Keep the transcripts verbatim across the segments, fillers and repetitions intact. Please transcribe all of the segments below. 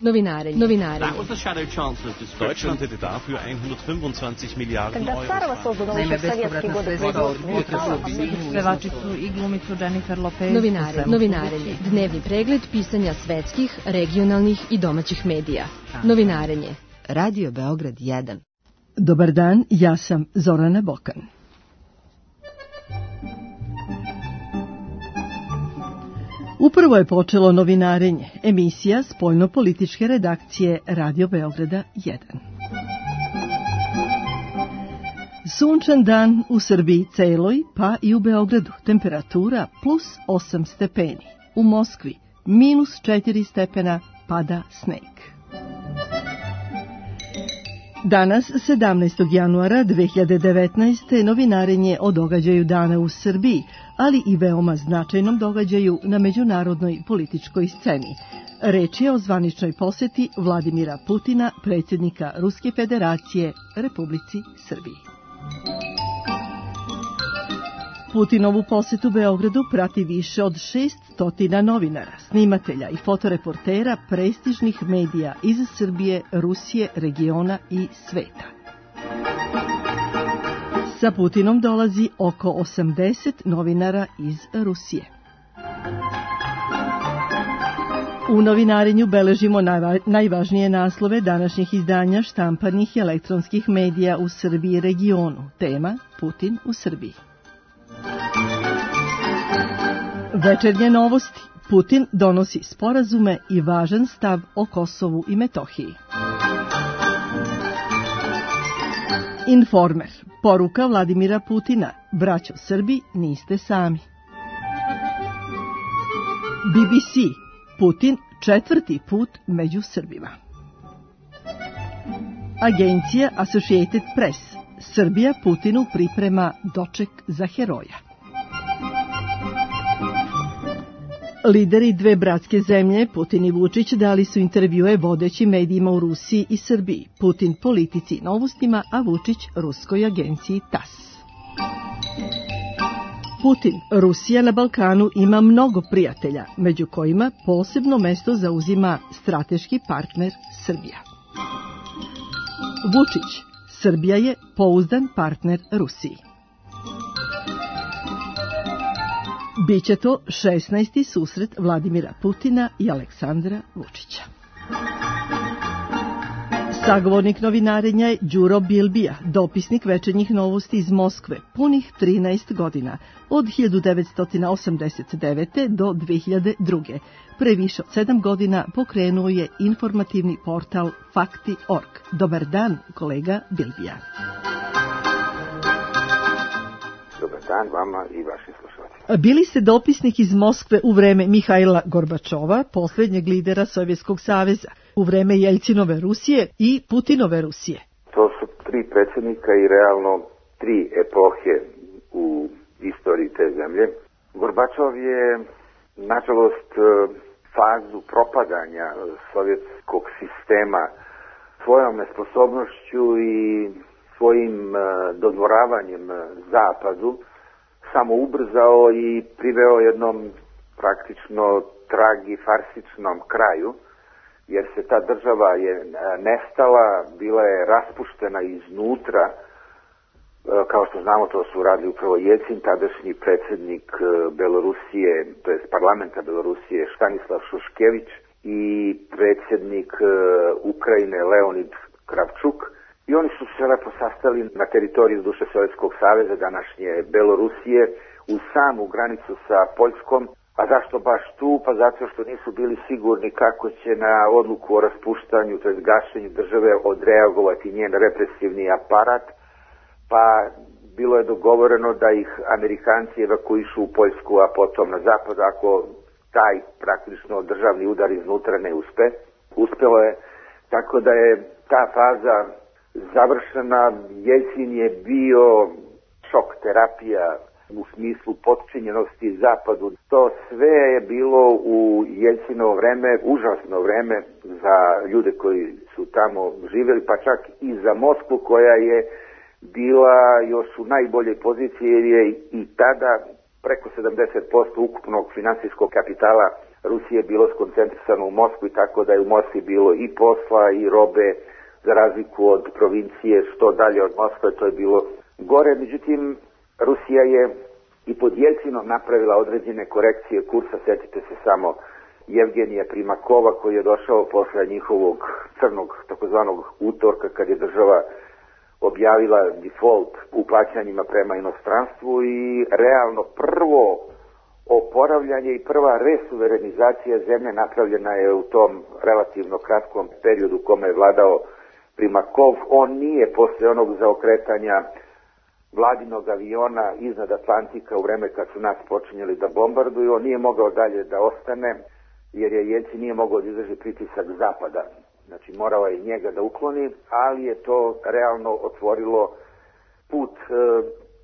Novinarenje. Novinarenje. Deutschland hätte dafür hundertfünfundzwanzig Miliarden Euro. Naime, bespovratna sredstva od Putin. Pevačicu i glumicu Jennifer Lopez. Novinarenje. Novinarenje. Dnevni pregled pisanja svetskih, regionalnih i domaćih medija. Novinarenje. Radio Beograd jedan. Dobar dan, ja sam Zorana Bokan. Upravo je počelo Novinarenje, emisija spoljno-političke redakcije Radio Beograda jedan. Sunčan dan u Srbiji celoj, pa i u Beogradu. Temperatura plus osam stepeni. U Moskvi minus četiri stepena, pada sneg. Danas, sedamnaestog januara dve hiljade devetnaeste. Novinarenje o događaju dana u Srbiji, ali i veoma značajnom događaju na međunarodnoj političkoj sceni. Reč je o zvaničnoj poseti Vladimira Putina, predsjednika Ruske federacije, Republici Srbiji. Putinovu posetu Beogradu prati više od šeststo novinara, snimatelja i fotoreportera prestižnih medija iz Srbije, Rusije, regiona i sveta. Sa Putinom dolazi oko osamdeset novinara iz Rusije. U novinarenju beležimo najvažnije naslove današnjih izdanja štampanih i elektronskih medija u Srbiji i regionu. Tema Putin u Srbiji. Večernje novosti. Putin donosi sporazume i važan stav o Kosovu i Metohiji. Informer. Poruka Vladimira Putina. Braćo Srbi, niste sami. B B C. Putin četvrti put među Srbima. Agencija Associated Press. Srbija Putinu priprema doček za heroja. Lideri dve bratske zemlje, Putin i Vučić, dali su intervjue vodećim medijima u Rusiji i Srbiji. Putin politici i novostima, a Vučić ruskoj agenciji T A S. Putin, Rusija na Balkanu ima mnogo prijatelja, među kojima posebno mesto zauzima strateški partner Srbija. Vučić, Srbija je pouzdan partner Rusiji. Biće to šesnaesti susret Vladimira Putina i Aleksandra Vučića. Sagovornik novinarenja je Đuro Bilbija, dopisnik večernjih novosti iz Moskve, punih trinaest godina, od hiljadu devetsto osamdeset devete. do dve hiljade druge. Pre više od sedam godina pokrenuo je informativni portal Fakti tačka org. Dobar dan, kolega Bilbija. Dobar dan vama i vašim slušalcima. Bili ste dopisnik iz Moskve u vreme Mihajla Gorbačova, posljednjeg lidera Sovjetskog saveza, u vreme Jeljcinove Rusije i Putinove Rusije. To su tri predsjednika i realno tri epohe u istoriji te zemlje. Gorbačov je, nažalost, fazu propadanja sovjetskog sistema svojom nesposobnošću i svojim dodvoravanjem Zapadu samo ubrzao i priveo jednom praktično tragifarsičnom kraju, jer se ta država je nestala, bila je raspuštena iznutra. Kao što znamo, to su radili upravo Jeljcin, tadašnji predsjednik Belorusije, to jest parlamenta Belorusije Stanislav Šuškević i predsjednik Ukrajine Leonid Kravčuk. I oni su se lepo sastali na teritoriju duše Sovjetskog saveza, današnje Belorusije, u samu granicu sa Poljskom. A zašto baš tu? Pa zato što nisu bili sigurni kako će na odluku o raspuštanju, to jest gašenju države, odreagovati njen represivni aparat. Pa bilo je dogovoreno da ih Amerikanci evakuišu u Poljsku, a potom na zapad, ako taj praktično državni udar iznutra ne uspe. Uspelo je, tako da je ta faza završena. Jeljcin je bio šok terapija u smislu potčinjenosti Zapadu. To sve je bilo u Jeljcinovo vreme, užasno vreme za ljude koji su tamo živjeli, pa čak i za Moskvu koja je bila još u najboljoj poziciji, jer je i tada preko sedamdeset posto ukupnog finansijskog kapitala Rusije bilo skoncentrisano u Moskvi, tako da je u Moskvi bilo i posla i robe, za razliku od provincije, što dalje od Moskve, to je bilo gore. Međutim, Rusija je i pod Jelcinom napravila određene korekcije kursa. Sjetite se samo Jevgenija Primakova koji je došao posle njihovog crnog takozvanog utorka kad je država objavila default u plaćanjima prema inostranstvu i realno prvo oporavljanje i prva resuverenizacija zemlje napravljena je u tom relativno kratkom periodu u kome je vladao Primakov. On nije posle onog zaokretanja vladinog aviona iznad Atlantika u vreme kad su nas počinjeli da bombarduju, on nije mogao dalje da ostane jer je Jelcin nije mogao da izdrži pritisak zapada. Znači morao je njega da ukloni, ali je to realno otvorilo put e,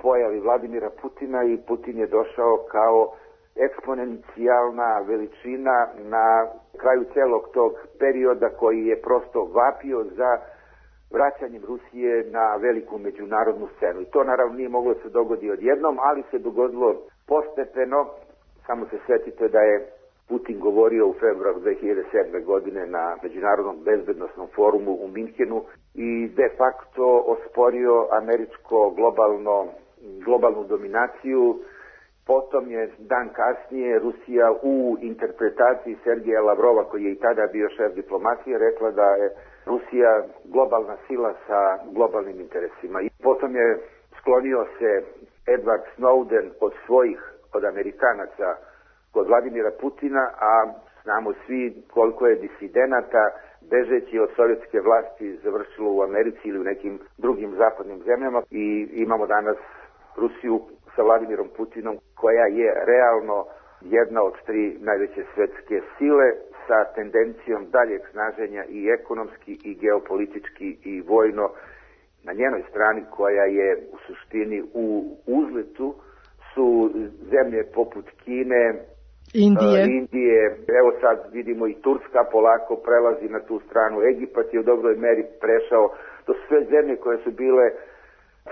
pojavi Vladimira Putina i Putin je došao kao eksponencijalna veličina na kraju celog tog perioda koji je prosto vapio za vraćanjem Rusije na veliku međunarodnu scenu. I to naravno nije moglo da se dogodi odjednom, ali se dogodilo postepeno. Samo se sjetite da je Putin govorio u februaru dve hiljade sedme. godine na Međunarodnom bezbednosnom forumu u Minhenu i de facto osporio američko globalno, globalnu dominaciju. Potom je dan kasnije Rusija u interpretaciji Sergeja Lavrova, koji je i tada bio šef diplomacije, rekla da je Rusija globalna sila sa globalnim interesima. I potom je sklonio se Edward Snowden od svojih, od Amerikanaca, kod Vladimira Putina, a znamo svi koliko je disidenata bežeći od sovjetske vlasti završilo u Americi ili u nekim drugim zapadnim zemljama i imamo danas Rusiju sa Vladimirom Putinom koja je realno jedna od tri najveće svetske sile sa tendencijom daljeg snaženja i ekonomski i geopolitički i vojno. Na njenoj strani koja je u suštini u uzletu su zemlje poput Kine, Indije. Uh, Indije, evo sad vidimo i Turska polako prelazi na tu stranu, Egipat je u dobroj meri prešao, to su sve zemlje koje su bile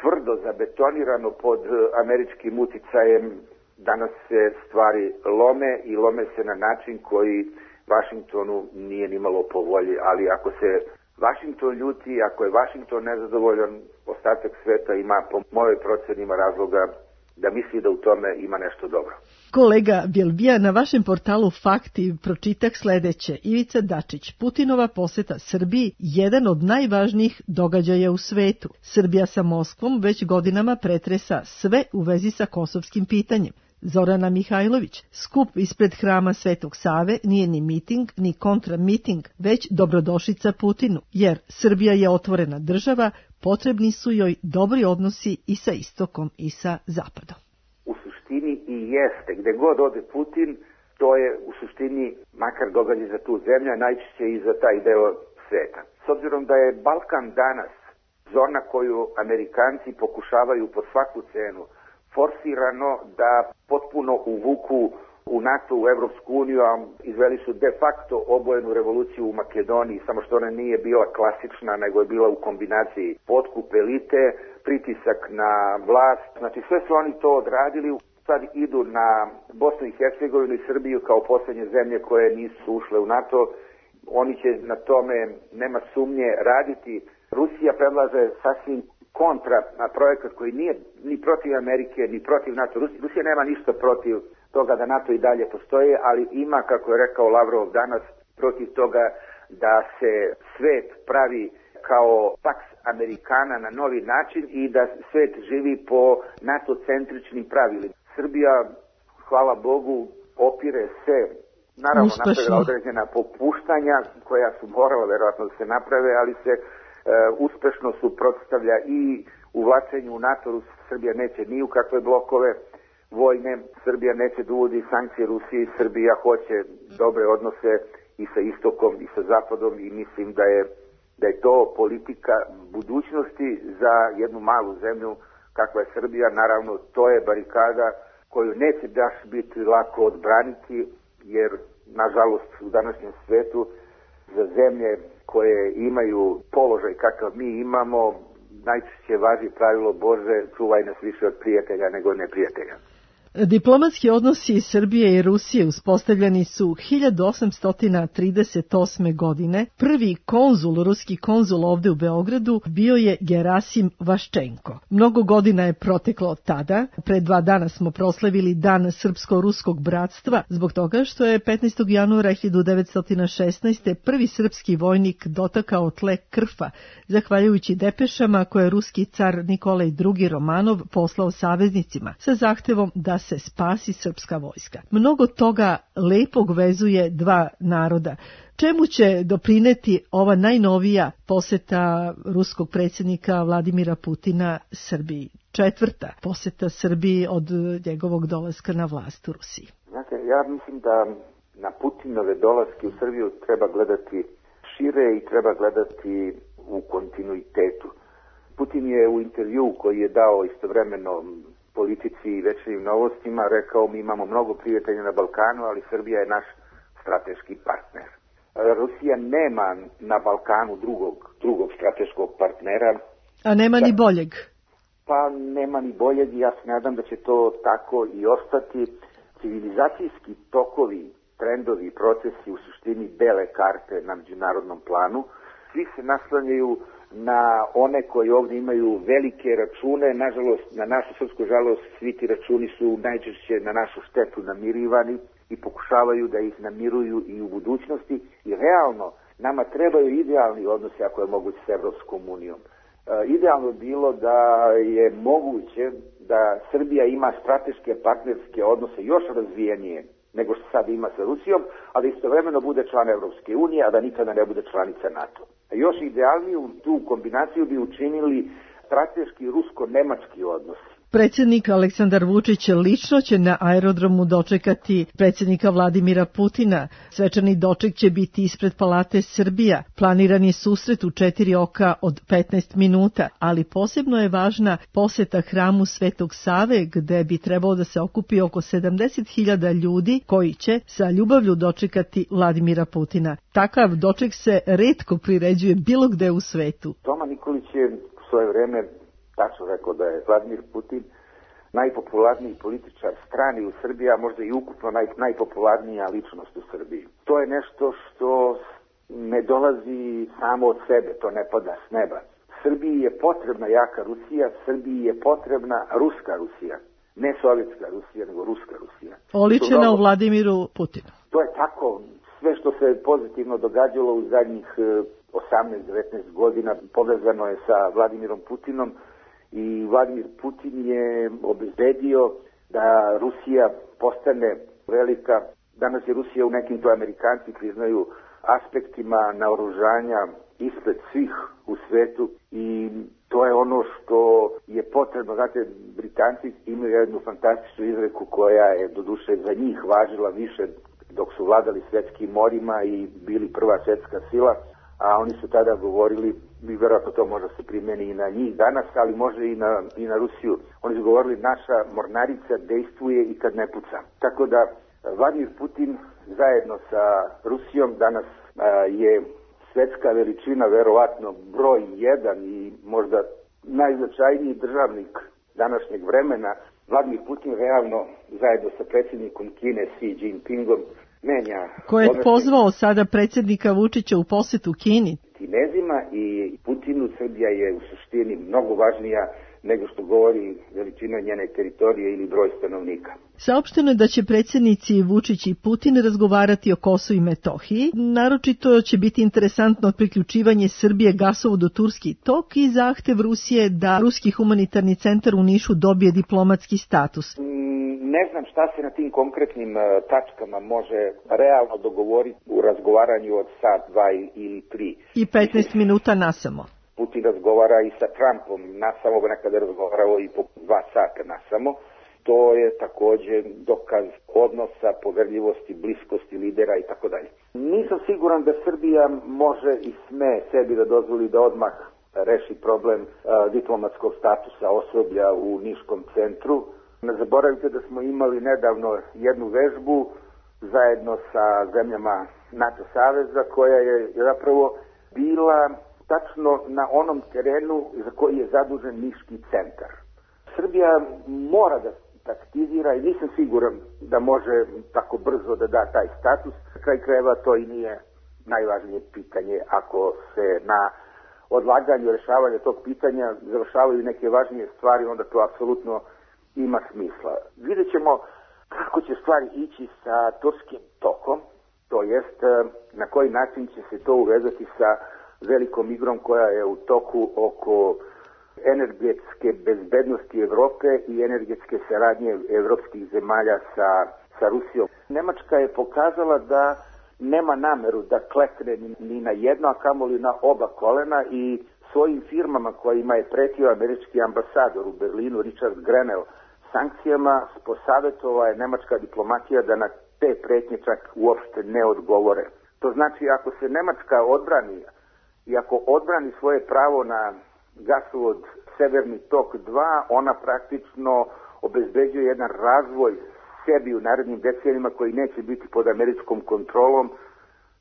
tvrdo zabetonirano pod američkim uticajem, danas se stvari lome i lome se na način koji Vašingtonu nije nimalo po volji, ali ako se Vašington ljuti, ako je Vašington nezadovoljan, ostatak sveta ima po mojoj procenima razloga da misli da u tome ima nešto dobro. Kolega Bjelbija, na vašem portalu Fakti pročitak sledeće. Ivica Dačić, Putinova poseta Srbiji, jedan od najvažnijih događaja u svetu. Srbija sa Moskvom već godinama pretresa sve u vezi sa kosovskim pitanjem. Zorana Mihajlović, skup ispred hrama Svetog Save nije ni miting, ni kontramiting, već dobrodošlica Putinu, jer Srbija je otvorena država, potrebni su joj dobri odnosi i sa istokom i sa zapadom. U suštini i jeste, gde god ode Putin, to je u suštini makar događaj za tu zemlju, najčešće i za taj deo sveta. S obzirom da je Balkan danas zona koju Amerikanci pokušavaju po svaku cenu forsirano da potpuno uvuku u NATO, u Evropsku uniju, a izveli su de facto obojenu revoluciju u Makedoniji, samo što ona nije bila klasična, nego je bila u kombinaciji potkup elite, pritisak na vlast. Znači sve su oni to odradili, sad idu na Bosnu i Hercegovinu i Srbiju kao posljednje zemlje koje nisu ušle u NATO. Oni će na tome, nema sumnje, raditi. Rusija predlaže sasvim kontra na projekat koji nije ni protiv Amerike, ni protiv NATO. Rusija nema ništa protiv toga da NATO i dalje postoje, ali ima, kako je rekao Lavrov danas, protiv toga da se svet pravi kao Pax Americana na novi način i da svet živi po NATO-centričnim pravilima. Srbija, hvala Bogu, opire se, naravno napravila određena popuštanja koja su morala verovatno da se naprave, ali se Uh, uspešno suprotstavlja i uvlačenju u NATO. Srbija neće ni u kakve blokove vojne, Srbija neće da uvodi sankcije Rusiji, Srbija hoće dobre odnose i sa istokom i sa zapadom i mislim da je, da je to politika budućnosti za jednu malu zemlju kakva je Srbija. Naravno, to je barikada koju neće baš biti lako odbraniti, jer nažalost u današnjem svetu za zemlje koje imaju položaj kakav mi imamo, najčešće važi pravilo Bože, čuvaj nas više od prijatelja nego neprijatelja. Diplomatski odnosi Srbije i Rusije uspostavljeni su hiljadu osamsto trideset osme. godine. Prvi konzul, ruski konzul ovde u Beogradu bio je Gerasim Vaščenko. Mnogo godina je proteklo od tada. Pre dva dana smo proslavili Dan srpsko-ruskog bratstva zbog toga što je petnaestog januara hiljadu devetsto šesnaeste. prvi srpski vojnik dotakao tle Krfa, zahvaljujući depešama koje je ruski car Nikolaj drugi. Romanov poslao saveznicima sa zahtevom da se spasi srpska vojska. Mnogo toga lepog vezuje dva naroda. Čemu će doprineti ova najnovija poseta ruskog predsjednika Vladimira Putina Srbiji? Četvrta poseta Srbiji od njegovog dolaska na vlast u Rusiji. Znate, ja mislim da na Putinove dolaske u Srbiju treba gledati šire i treba gledati u kontinuitetu. Putin je u intervju koji je dao istovremeno Politici i Večernjim novostima rekao: mi imamo mnogo prijatelja na Balkanu, ali Srbija je naš strateški partner. Rusija nema na Balkanu drugog, drugog strateškog partnera. A nema da, ni boljeg? Pa nema ni boljeg i ja se nadam da će to tako i ostati. Civilizacijski tokovi, trendovi, procesi u suštini bele karte na međunarodnom planu. Svi se naslanjaju na one koji ovdje imaju velike račune. Nažalost, na našu srpsku žalost, svi ti računi su najčešće na našu štetu namirivani i pokušavaju da ih namiruju i u budućnosti. I realno, nama trebaju idealni odnosi, ako je moguće, s Evropskom unijom. E, idealno je bilo da je moguće da Srbija ima strateške partnerske odnose još razvijenije nego što sad ima sa Rusijom, a da istovremeno bude član Evropske unije, a da nikada ne bude članica NATO. A još idealniju tu kombinaciju bi učinili strateški rusko-nemački odnosi. Predsjednik Aleksandar Vučić lično će na aerodromu dočekati predsjednika Vladimira Putina. Svečani doček će biti ispred Palate Srbija. Planiran je susret u četiri oka od petnaest minuta, ali posebno je važna poseta hramu Svetog Save, gde bi trebalo da se okupi oko sedamdeset hiljada ljudi koji će sa ljubavlju dočekati Vladimira Putina. Takav doček se retko priređuje bilo gde u svetu. Toma Nikolić je u svoje vreme tačno rekao da je Vladimir Putin najpopularniji političar strani u Srbiji, a možda i ukupno naj, najpopularnija ličnost u Srbiji. To je nešto što ne dolazi samo od sebe, to ne pada s neba. Srbiji je potrebna jaka Rusija, Srbiji je potrebna ruska Rusija. Ne sovjetska Rusija, nego ruska Rusija. Oličena mnogo... u Vladimiru Putinu. To je tako. Sve što se pozitivno događalo u zadnjih osamnaest devetnaest godina povezano je sa Vladimirom Putinom. I Vladimir Putin je obezbedio da Rusija postane velika. Danas je Rusija u nekim, to Amerikanci priznaju, aspektima naoružanja ispred svih u svetu i to je ono što je potrebno. Znate, Britanci imaju jednu fantastičnu izreku koja je doduše za njih važila više dok su vladali svetskim morima i bili prva svjetska sila, a oni su tada govorili, i vjerojatno to može se primjeni i na njih danas, ali može i na, i na Rusiju. Oni su govorili: naša mornarica dejstvuje i kad ne puca. Tako da Vladimir Putin zajedno sa Rusijom danas a, je svetska veličina, verovatno broj jedan i možda najznačajniji državnik današnjeg vremena. Vladimir Putin realno zajedno sa predsjednikom Kine Xi Jinpingom menja... Ko je pozvao sada predsjednika Vučića u posetu Kini? Kinezima i Putinu Srbija je u suštini mnogo važnija nego što govori veličina njene teritorije ili broj stanovnika. Saopšteno je da će predsjednici Vučić i Putin razgovarati o Kosovu i Metohiji. Naročito će biti interesantno priključivanje Srbije gasovodu Turski tok i zahtev Rusije da Ruski humanitarni centar u Nišu dobije diplomatski status. Ne znam šta se na tim konkretnim uh, tačkama može realno dogovoriti u razgovaranju od sat, dva ili tri. I petnaest minuta nasamo. Putin razgovara i sa Trumpom nasamo, nekada je razgovarao i po dva sata nasamo. To je također dokaz odnosa, poverljivosti, bliskosti lidera i tako dalje. Nisam siguran da Srbija može i sme sebi da dozvoli da odmah reši problem uh, diplomatskog statusa osoblja u Niškom centru. Ne zaboravite da smo imali nedavno jednu vežbu zajedno sa zemljama NATO saveza koja je zapravo bila tačno na onom terenu za koji je zadužen Niški centar. Srbija mora da taktizira i nisam siguran da može tako brzo da da taj status. Kraj krajeva to i nije najvažnije pitanje. Ako se na odlaganju rešavanja tog pitanja završavaju neke važnije stvari, onda to apsolutno ima smisla. Vidjet ćemo kako će stvari ići sa turskim tokom, to jest na koji način će se to uvezati sa velikom igrom koja je u toku oko energetske bezbednosti Evrope i energetske saradnje evropskih zemalja sa, sa Rusijom. Nemačka je pokazala da nema nameru da klekne ni, ni na jedno, a kamoli na oba kolena i svojim firmama kojima je pretio američki ambasador u Berlinu, Richard Grenell, sankcijama posavjetovao je nemačka diplomatija da na te pretnje čak uopšte ne odgovore. To znači ako se Nemačka odbrani i ako odbrani svoje pravo na gasovod Severni tok dva, ona praktično obezbeđuje jedan razvoj sebi u narednim decenijima koji neće biti pod američkom kontrolom,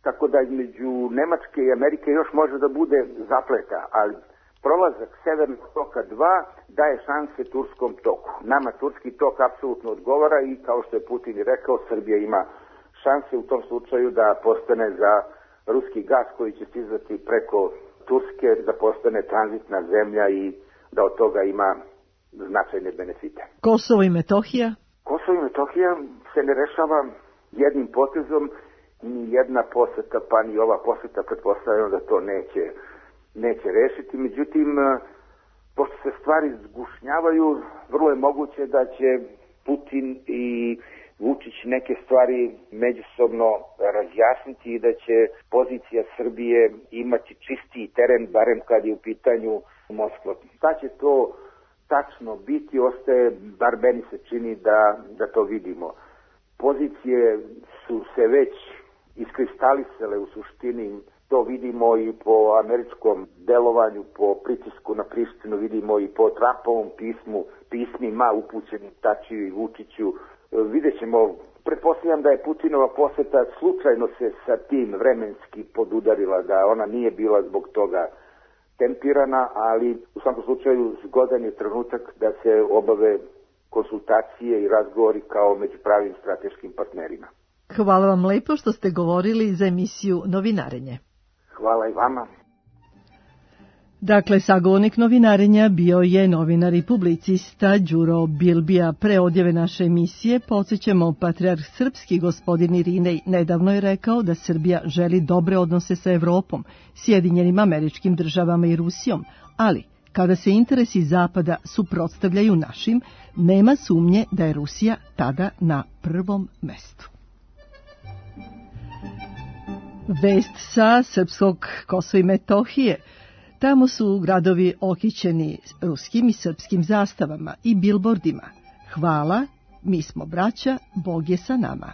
tako da između Nemačke i Amerike još može da bude zapleta, ali prolazak Severnog toka dva daje šanse turskom toku. Nama turski tok apsolutno odgovara i kao što je Putin i rekao, Srbija ima šanse u tom slučaju da postane za ruski gas koji će stizati preko Turske, da postane tranzitna zemlja i da od toga ima značajne benefite. Kosovo i Metohija? Kosovo i Metohija se ne rešava jednim potezom, ni jedna poseta, pa ni ova poseta, pretpostavljam da to neće, neće rešiti. Međutim, pošto se stvari zgušnjavaju, vrlo je moguće da će Putin i Vučić neke stvari međusobno razjasniti i da će pozicija Srbije imati čistiji teren, barem kad je u pitanju Moskva. Šta će to tačno biti, ostaje, bar meni se čini da, da to vidimo. Pozicije su se već iskristalisale u suštini, to vidimo i po američkom delovanju, po pritisku na Prištinu, vidimo i po Trumpovom pismu, pismima upućenim Tačiju i Vučiću. Vidjet ćemo, pretpostavljam da je Putinova poseta slučajno se sa tim vremenski podudarila, da ona nije bila zbog toga tempirana, ali u svakom slučaju zgodan je trenutak da se obave konsultacije i razgovori kao među pravim strateškim partnerima. Hvala vam lepo što ste govorili za emisiju Novinarenje. Hvala i vama. Dakle, sagovornik Novinarenja bio je novinar i publicista Đuro Bilbija. Pre odjave naše emisije podsjećamo, patrijarh srpski gospodin Irinej nedavno je rekao da Srbija želi dobre odnose sa Evropom, Sjedinjenim Američkim Državama i Rusijom, ali kada se interesi Zapada suprotstavljaju našim, nema sumnje da je Rusija tada na prvom mestu. Vest sa srpskog Kosova i Metohije. Tamo su gradovi okićeni ruskim i srpskim zastavama i bilbordima. Hvala, mi smo braća, Bog je sa nama.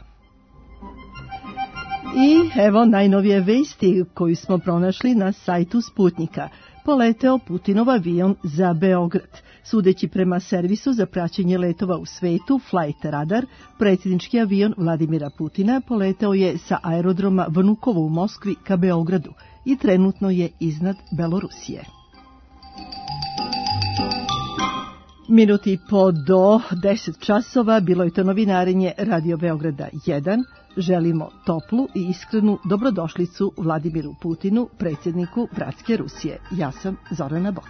I evo najnovije vesti koju smo pronašli na sajtu Sputnika. Poleteo Putinov avion za Beograd. Sudeći prema servisu za praćenje letova u svetu Flight Radar, predsjednički avion Vladimira Putina poleteo je sa aerodroma Vnukovo u Moskvi ka Beogradu i trenutno je iznad Belorusije. Minuti po do deset časova bilo je to novinarenje Radio Beograda jedan. Želimo toplu i iskrenu dobrodošlicu Vladimiru Putinu, predsjedniku bratske Rusije. Ja sam Zorana Bok.